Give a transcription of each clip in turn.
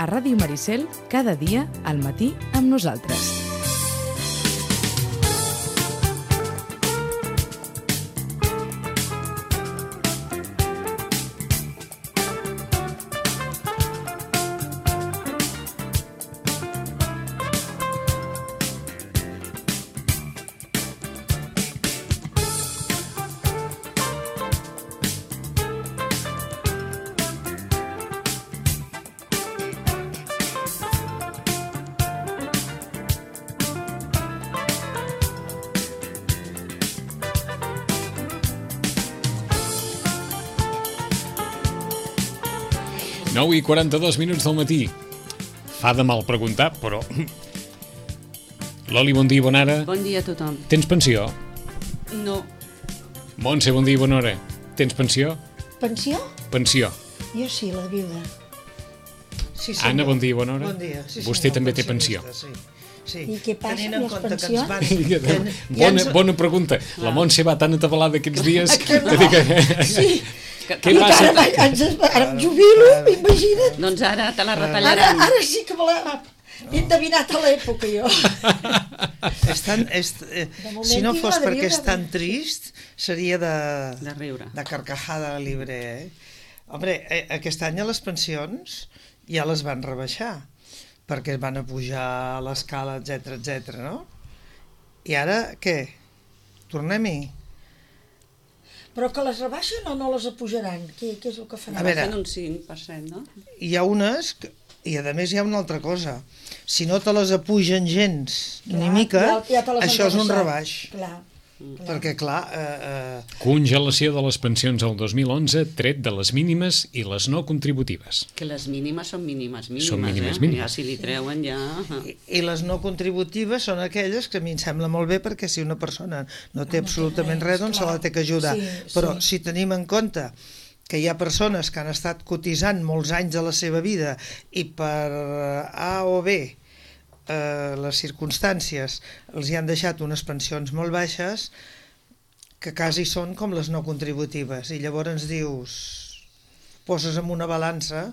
a Ràdio Maricel, cada dia al matí amb nosaltres. I 42 minuts del matí. Fa de mal preguntar, però... Loli, bon dia i bona hora. Bon dia a tothom. Tens pensió? No. Montse, bon dia i bona hora. Tens pensió? Pensió? Pensió. Jo sí, la viuda. Sí, Anna, bon dia i bona hora. Bon dia. Sí, vostè també té pensió. Sí. I què passa Tenint amb les pensions? Bona pregunta. La Montse va tan atabalada aquests dies... Sí. Què passa? Ara em jubilo, imagina't. Doncs ara te la retallaran. Ara sí que me l'he endevinat a l'època, jo. Si no fos perquè és tan trist, seria de riure. De carcajada libre, Hombre, aquest any a les pensions ja les van rebaixar, perquè van a pujar a l'escala, etc, no? I ara, què? Tornem-hi? Però que les rebaixen o no les apujaran? Què és el que faran? A veure, Fan un 5%, no? hi ha unes, i a més hi ha una altra cosa. Si no te les apugen gens, ni mica, això és un rebaix. Clar. Perquè, clar... Congelació de les pensions el 2011, tret de les mínimes i les no contributives. Que les mínimes són mínimes. Són mínimes. Ja si li treuen ja... I les no contributives són aquelles que a mi em sembla molt bé, perquè si una persona no té absolutament res, doncs se la té que ajudar. Però si tenim en compte que hi ha persones que han estat cotitzant molts anys de la seva vida i per A o B les circumstàncies els hi han deixat unes pensions molt baixes, que quasi són com les no contributives, i llavors dius, poses en una balança,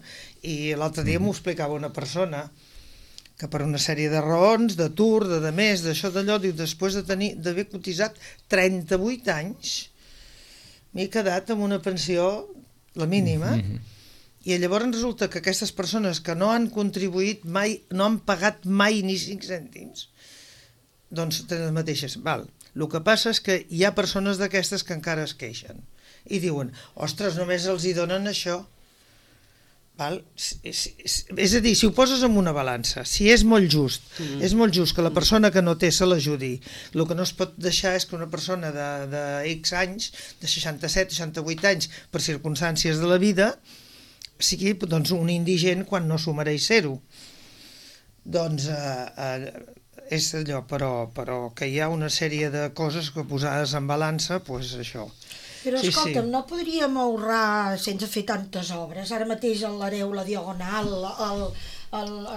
i l'altre dia m'ho explicava una persona, que per una sèrie de raons, d'atur, de més, d'això, d'allò, diu, després d'haver cotitzat 38 anys, m'he quedat amb una pensió, la mínima, i llavors resulta que aquestes persones que no han contribuït mai, no han pagat mai ni 5 cèntims, doncs tenen les mateixes. Val. El que passa és que hi ha persones d'aquestes que encara es queixen i diuen, ostres, només els hi donen això. Val? És a dir, si ho poses en una balança, si és molt just que la persona que no té se l'ajudi, el que no es pot deixar és que una persona de X anys, de 67, 68 anys, per circumstàncies de la vida, sigui doncs, un indigent quan no s'ho mereix ser-ho. Doncs és allò, però que hi ha una sèrie de coses que posades en balança, doncs això. Però escolta'm, no podríem ahorrar sense fer tantes obres? Ara mateix a l'Hereu, la Diagonal,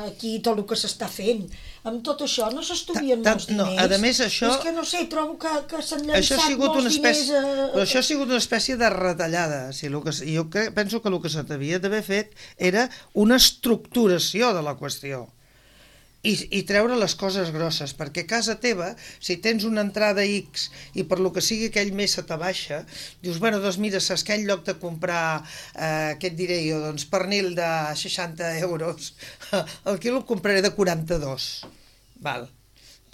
aquí tot el que s'està fent, amb tot això no s'estudien molts diners? No, a més això... És que no sé, trobo que s'han llançat molts diners... Però això ha sigut una espècie de retallada. Jo penso que el que s'havia d'haver fet era una estructuració de la qüestió. I treure les coses grosses, perquè a casa teva, si tens una entrada X i per lo que sigui aquell mes se t'abaixa, dius, bueno, doncs mira, saps que en lloc de comprar, què et diré jo, doncs pernil de 60 euros, el quilo el compraré de 42. Val.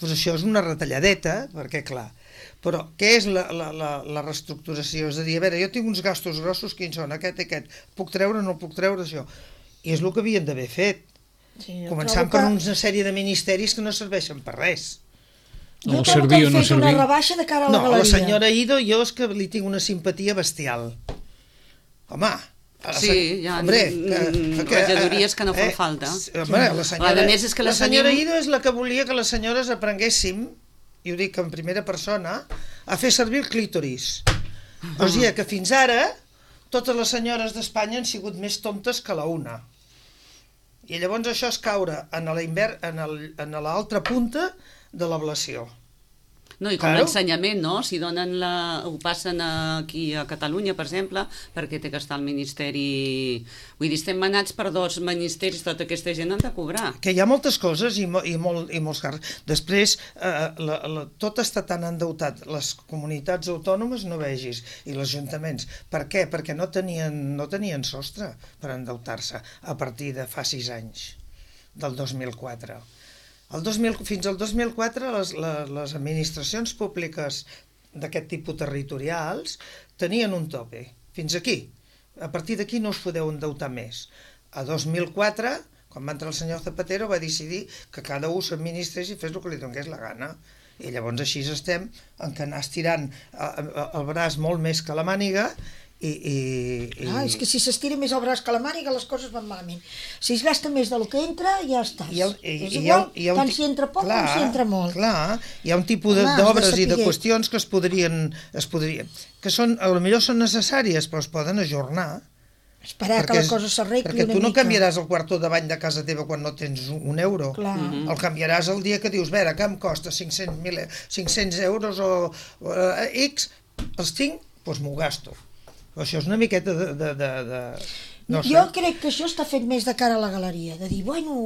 Doncs això és una retalladeta, perquè clar, però què és la reestructuració? És a dir, a veure, jo tinc uns gastos grossos, quins són? Aquest i aquest. Puc treure o no puc treure això? I és el que havien d'haver fet. Començant per una sèrie de ministeris que no serveixen per res. Jo trobo que han fet una rebaixa de cara a la galeria. No, la senyora Ido, jo és que li tinc una simpatia bestial. Home... Sí, hi ha regidories que no fan falta. A més, és que la senyora Ido és la que volia que les senyores aprenguéssim, i ho dic en primera persona, a fer servir el clítoris. O sigui que fins ara totes les senyores d'Espanya han sigut més tontes que la una. I llavors això és caure en l'altra punta de l'ablació. No, i com l'ensenyament, no? Si ho passen aquí a Catalunya, per exemple, perquè té que estar al Ministeri... Vull dir, estem manats per 2 ministeris, tota aquesta gent han de cobrar. Que hi ha moltes coses i molts càrrecs. Després, tot està tan endeutat. Les comunitats autònomes no vegis, i els ajuntaments. Per què? Perquè no tenien sostre per endeutar-se a partir de fa 6 anys, del 2004. Fins al 2004 les administracions públiques d'aquest tipus territorials tenien un tope, fins aquí. A partir d'aquí no us podeu endeutar més. A 2004, quan va entrar el senyor Zapatero, va decidir que cada un s'administrés i fes el que li donés la gana. I llavors així estem, en què anar estirant el braç molt més que la màniga. És que si s'estira més el braç que la màniga les coses van malament. Si es gasta més del que entra, ja estàs. És igual, tant si entra poc com si entra molt. Clar, hi ha un tipus d'obres i de qüestions que es podrien que potser són necessàries, però es poden ajornar. Esperar que la cosa s'arregli una mica. Perquè tu no canviaràs el quarto de bany de casa teva quan no tens un euro. El canviaràs el dia que dius, que em costa 500 euros o X, els tinc, doncs m'ho gasto. Això és una miqueta Jo crec que això està fet més de cara a la galeria, de dir,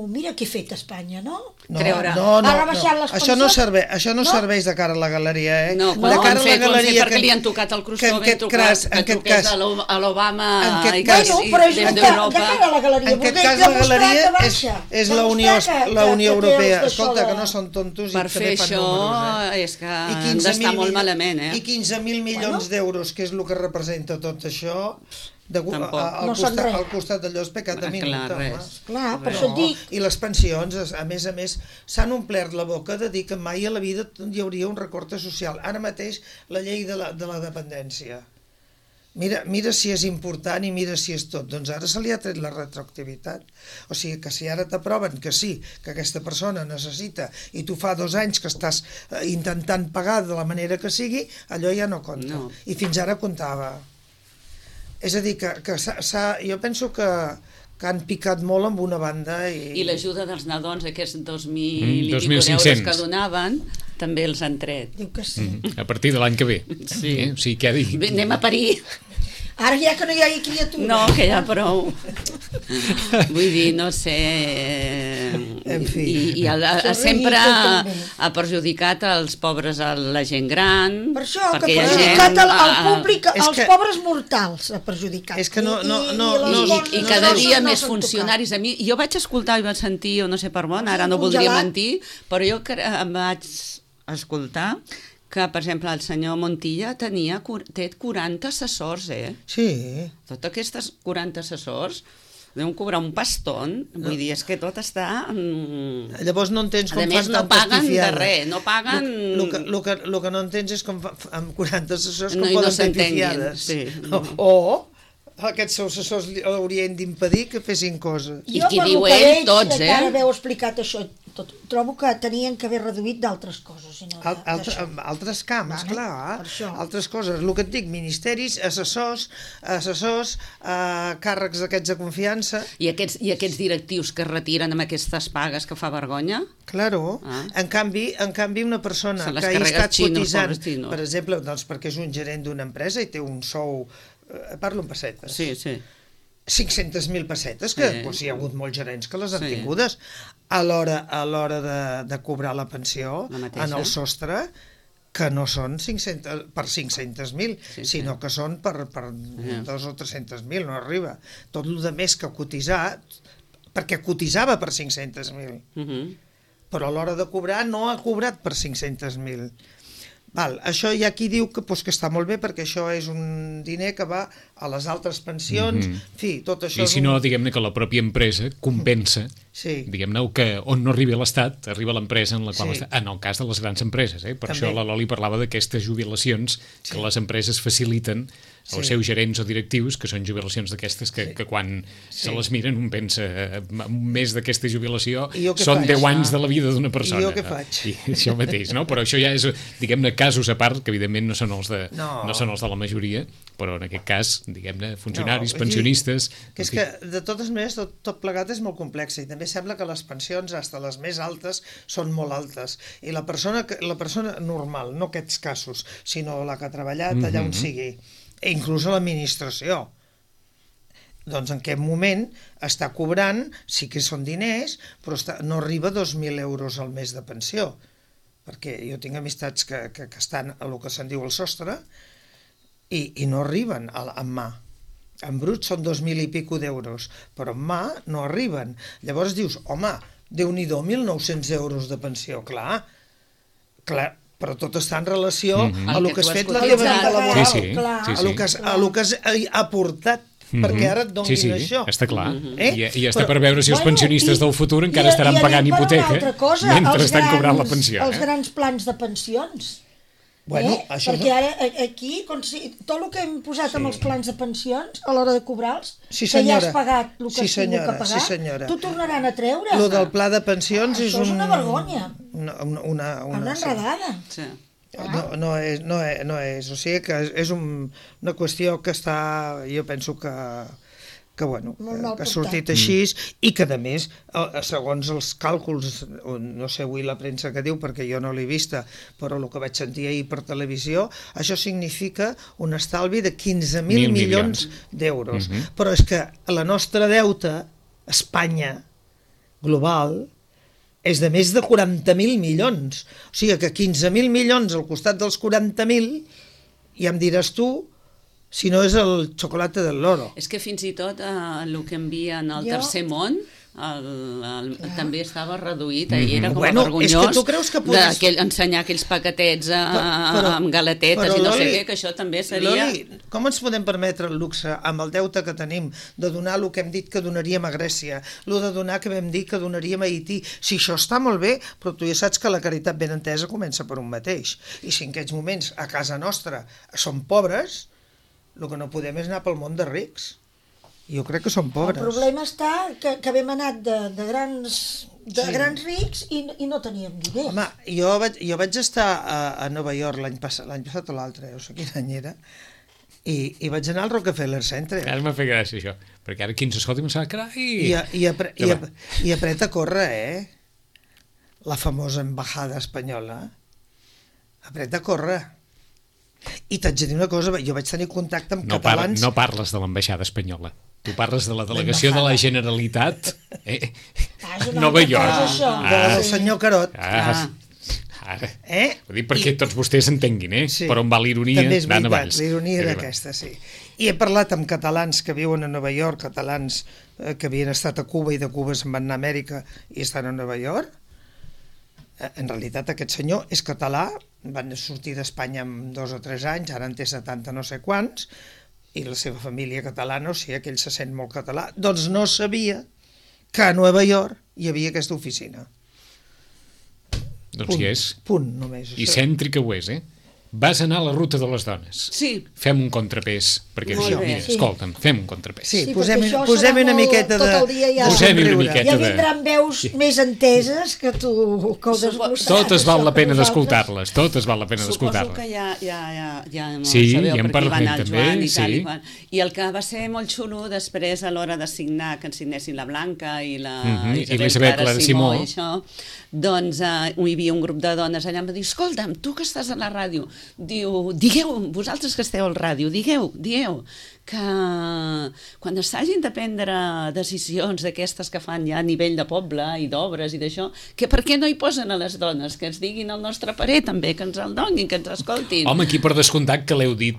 mira què he fet a Espanya, no? Això no serveix de cara a la galeria, No, ho han fet perquè li han tocat el crostó ben tocat, que truqués a l'Obama i que des d'Europa. De cara a la galeria, en aquest cas la galeria és la Unió Europea. Escolta, que no són tontos. Per fer això és que han d'estar molt malament, I 15.000 milions d'euros, que és el que representa tot això, al costat d'allò és pecat de minut. Clar, per això et dic. I les pensions, a més, s'han omplert la boca de dir que mai a la vida hi hauria un recorte social. Ara mateix la llei de la dependència. Mira si és important i mira si és tot. Doncs ara se li ha tret la retroactivitat. O sigui que si ara t'aproven que sí, que aquesta persona necessita i tu fa 2 anys que estàs intentant pagar de la manera que sigui, allò ja no compta. I fins ara comptava. És a dir, que jo penso que han picat molt amb una banda. I l'ajuda dels nadons, aquests 2.000 euros que donaven, també els han tret. Diu que sí. A partir de l'any que ve. Sí. Sí, què ha dit? Anem a parir. Ara ja que no hi hagi criatura. No, que ja prou. Vull dir, no sé... En fi. I sempre ha perjudicat els pobres, la gent gran. Per això, que ha perjudicat el públic, els pobres mortals ha perjudicat. És que no... I cada dia més funcionaris. Jo vaig escoltar i vaig sentir, no sé per on, ara no voldria mentir, però jo em vaig escoltar que, per exemple, el senyor Montilla té 40 assessors, Sí. Tots aquests 40 assessors deuen cobrar un pastón, vull dir, és que tot està... Llavors no entens com fan no paguen de res, no paguen... El que no entens és com amb 40 assessors com poden fer pifiades. O aquests assessors haurien d'impedir que fessin coses. I qui diu ell, tots, que ara veu explicat això tot, trobo que tenien que haver reduït d'altres coses. Altres camps, clar. Altres coses. El que et dic, ministeris, assessors, càrrecs d'aquests de confiança. I aquests directius que es retiren amb aquestes pagues que fa vergonya? Claro. En canvi, una persona que ha estat cotitzant, per exemple, perquè és un gerent d'una empresa i té un sou... Parlo en pessetes. Sí. 500.000 pessetes, que hi ha hagut molts gerents que les han tingudes. A l'hora de cobrar la pensió, en el sostre, que no són per 500.000, sinó que són per 200 o 300.000, no arriba. Tot el que més que ha cotitzat, perquè cotitzava per 500.000. Però a l'hora de cobrar no ha cobrat per 500.000. Això hi ha qui diu que està molt bé perquè això és un diner que va a les altres pensions, en fi, tot això... I si no, diguem-ne que la pròpia empresa compensa, diguem-ne que on no arriba l'Estat, arriba l'empresa en la qual està, en el cas de les grans empreses, per això la Loli parlava d'aquestes jubilacions que les empreses faciliten els seus gerents o directius, que són jubilacions d'aquestes que quan se les miren un pensa un mes d'aquesta jubilació són 10 anys de la vida d'una persona. I jo què faig? I això mateix, no? Però això ja és, diguem-ne, casos a part, que evidentment no són els de la majoria, però en aquest cas, diguem-ne, funcionaris, pensionistes... Que és que, de totes maneres, tot plegat és molt complex i també sembla que les pensions, fins les més altes, són molt altes. I la persona normal, no aquests casos, sinó la que ha treballat allà on sigui, inclús a l'administració, doncs en aquest moment està cobrant, sí que són diners, però no arriba a 2.000 euros al mes de pensió, perquè jo tinc amistats que estan a lo que se'n diu el sostre i no arriben en mà. En brut són 2.000 i pico d'euros, però en mà no arriben. Llavors dius, home, Déu-n'hi-do, 1.900 euros de pensió, clar, però tot està en relació a el que has fet la teva vida laboral, a el que has aportat, perquè ara et donin això. Està clar. I està per veure si els pensionistes del futur encara estaran pagant hipoteca mentre estan cobrant la pensió. Els grans plans de pensions. Perquè ara aquí, tot el que hem posat amb els plans de pensions a l'hora de cobrar-los, que ja has pagat el que has tingut que pagar, t'ho tornaran a treure. Lo del pla de pensions és una... Això és una vergonya. Una enredada. No és. O sigui que és una qüestió que està, jo penso que ha sortit així i que, a més, segons els càlculs, no sé avui la premsa que diu, perquè jo no l'he vista, però el que vaig sentir ahir per televisió, això significa un estalvi de 15.000 milions d'euros. Però és que la nostra deute, Espanya, global, és de més de 40.000 milions. O sigui que 15.000 milions al costat dels 40.000, ja em diràs tu, si no és el xocolate del loro. És que fins i tot el que envien al tercer món també estava reduït, era com vergonyós ensenyar aquells paquetets amb galatetes i no sé què, que això també seria... Loli, com ens podem permetre el luxe amb el deute que tenim de donar el que hem dit que donaríem a Grècia, el de donar que vam dir que donaríem a Haití? Si això està molt bé, però tu ja saps que la caritat ben entesa comença per un mateix. I si en aquests moments a casa nostra som pobres, el que no podem és anar pel món de rics. Jo crec que som pobres. El problema està que vam anat de grans rics i no teníem diners. Home, jo vaig estar a Nova York l'any passat o l'altre, no sé quin any era, i vaig anar al Rockefeller Center. Ara m'ha fet gràcia això, perquè ara qui ens escolta em sap, carai... I apreta a córrer, la famosa embajada espanyola. Apreta a córrer. I t'haig de dir una cosa, jo vaig tenir contacte amb catalans... No parles de l'ambaixada espanyola. Tu parles de la delegació de la Generalitat Nova York. Del senyor Carot. Vull dir, perquè tots vostès entenguin, per on va l'ironia d'Anna Valls. L'ironia era aquesta, sí. I he parlat amb catalans que viuen a Nova York, catalans que havien estat a Cuba i de Cuba se'n van anar a Amèrica i estan a Nova York. En realitat aquest senyor és català, van sortir d'Espanya amb 2 o 3 anys, ara en té 70 no sé quants, i la seva família catalana, o sigui que ell se sent molt català, doncs no sabia que a Nova York hi havia aquesta oficina. Doncs hi és. Punt, només. I cèntrica ho és, Vas anar a la ruta de les dones. Sí. Fem un contrapès, perquè escolta'm, fem un contrapès. Sí, posem una miqueta de... Posem una miqueta de... Ja vindran veus més enteses que tu que ho desglossaràs. Totes val la pena d'escoltar-les, totes val la pena d'escoltar-les. Suposo que ja sabeu per qui va anar el Joan i tal i qual. I el que va ser molt xulo després a l'hora de signar, que ens signessin la Blanca i la Isabel Clara Simó i això, doncs hi havia un grup de dones allà, em va dir, escolta'm, tu que estàs a la ràdio, diu, digueu, vosaltres que esteu al ràdio, dieu que quan s'hagin de prendre decisions d'aquestes que fan ja a nivell de poble i d'obres i d'això, que per què no hi posen a les dones, que ens diguin el nostre parer també, que ens el donin, que ens escoltin. Home, aquí per descomptat que l'heu dit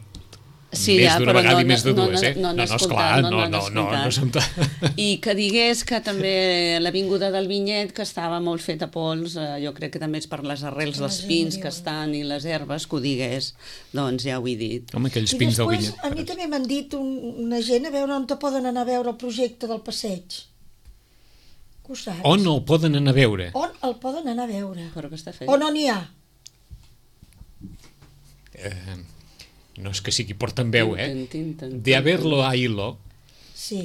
més d'una vegada i més de dues, No, esclar, I que digués que també l'avinguda del Vinyet, que estava molt feta pols, jo crec que també és per les arrels dels pins que estan i les herbes, que ho digués, doncs ja ho he dit. Home, aquells pins del Vinyet. A mi també m'han dit una gent a veure on te poden anar a veure el projecte del passeig. Que ho saps? On el poden anar a veure? On el poden anar a veure? Però que està fet. O no n'hi ha? no és que sigui portaveu, de haverlo a hilo,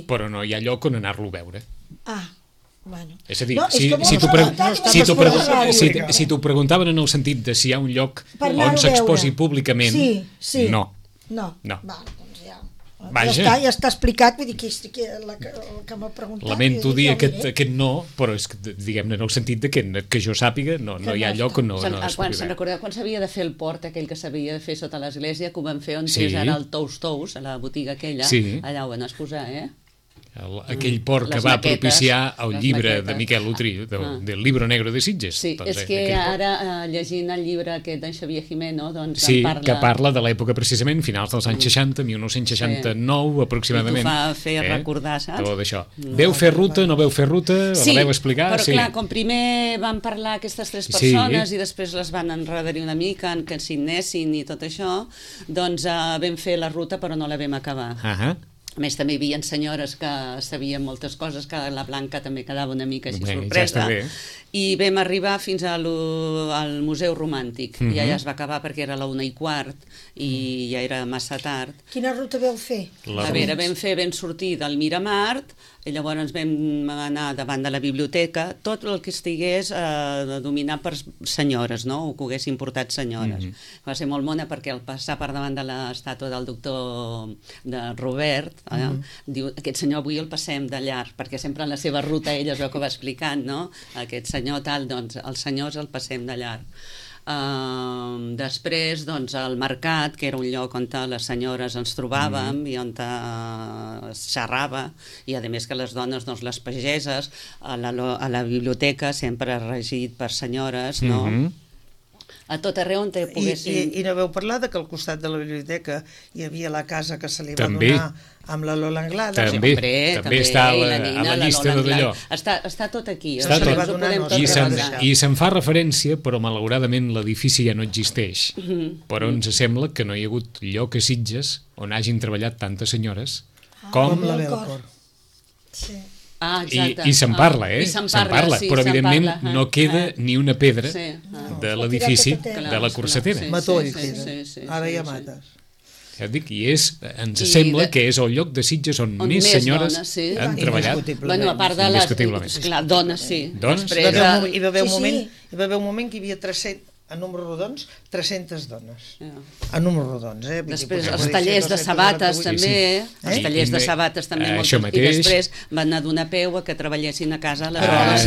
però no hi ha lloc on anar-lo a veure. Bueno. És a dir, si t'ho preguntaven en el sentit de si hi ha un lloc on s'exposi públicament, no. Ja està explicat, vull dir que el que m'ha preguntat... Lamento dir aquest no, però és que, diguem-ne, en el sentit que jo sàpiga, no hi ha lloc on no es pugui veure. Se'n recordeu quan s'havia de fer el port, aquell que s'havia de fer sota l'església, que ho van fer on és ara el Tous, a la botiga aquella, allà ho van exposar, aquell port que va propiciar el llibre de Miquel Utri, del Libro Negro de Sitges. Sí, és que ara, llegint el llibre aquest d'en Xavier Jimeno, doncs que parla de l'època precisament, finals dels anys 60, 1969 aproximadament. I t'ho fa fer recordar, saps? Tot això. Veu fer ruta, no veu fer ruta, la veu explicar? Sí, però clar, com primer van parlar aquestes 3 persones i després les van enredar una mica, que signessin i tot això, doncs vam fer la ruta però no la vam acabar. A més, també hi havia senyores que sabien moltes coses, que la Blanca també quedava una mica així sorpresa. I vam arribar fins al Museu Romàntic. I allà es va acabar perquè era la 1:15 i ja era massa tard. Quina ruta veu fer? A veure, vam sortir del Miramar, i llavors vam anar davant de la biblioteca, tot el que estigués dominat per senyores, no? O que haguessin portat senyores. Va ser molt mona perquè al passar per davant de l'estàtua del doctor de Robert, diu, aquest senyor avui el passem de llarg, perquè sempre en la seva ruta ella es veu que va explicant, no? Aquest senyor tal, doncs els senyors el passem de llarg. Després, doncs, al mercat, que era un lloc on les senyores ens trobàvem i on es xerrava, i a més que les dones, doncs, les pageses, a la biblioteca sempre regit per senyores, no? A tot arreu on poguessin... I no veu parlar que al costat de la biblioteca hi havia la casa que se li va donar amb la Lola Anglada. També està a la llista d'allò. Està tot aquí. I se'n fa referència, però malauradament l'edifici ja no existeix. Però ens sembla que no hi ha hagut lloc a Sitges on hagin treballat tantes senyores com la Belcor. Sí. I se'n parla, se'n parla, però evidentment no queda ni una pedra de l'edifici de la Corsetera. Matoll queda, ara hi ha mates. Ja et dic, i ens sembla que és el lloc de Sitges on més senyores han treballat. Bueno, a part de les dones, sí. Hi va haver un moment que hi havia 300, a números rodons, 300 dones. A números rodons, Després, els tallers de sabates també, els tallers de sabates també, i després van anar d'una peu a que treballessin a casa les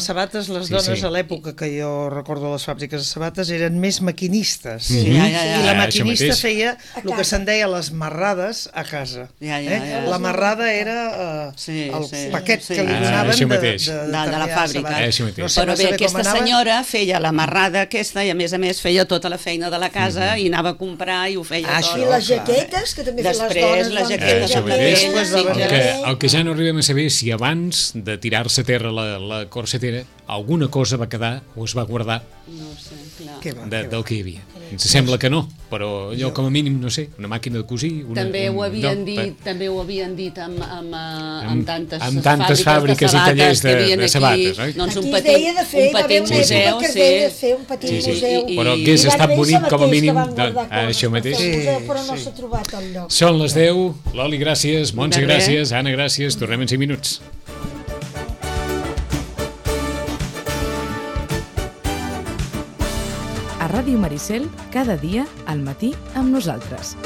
sabates, les dones a l'època que jo recordo les fàbriques de sabates eren més maquinistes. I la maquinista feia el que se'n deia les marrades a casa. La marrada era el paquet que li donaven de la fàbrica. Però bé, aquesta senyora feia la marrada aquesta i a més feia tota la feina de la casa i anava a comprar i ho feia tot. I les jaquetes, que també feien les dones. El que ja no arribem a saber si abans de tirar-se a terra la Corsetera alguna cosa va quedar o es va guardar del que hi havia. Ens sembla que no, però allò com a mínim, no sé, una màquina de cosir... També ho havien dit amb tantes fàbriques i tallers de sabates, oi? Doncs un petit museu, però hagués estat bonic com a mínim això mateix. Però no s'ha trobat el lloc. Són les 10, Loli, gràcies, Montse, gràcies, Anna, gràcies, tornem en 5 minuts. A Ràdio Maricel, cada dia al matí amb nosaltres.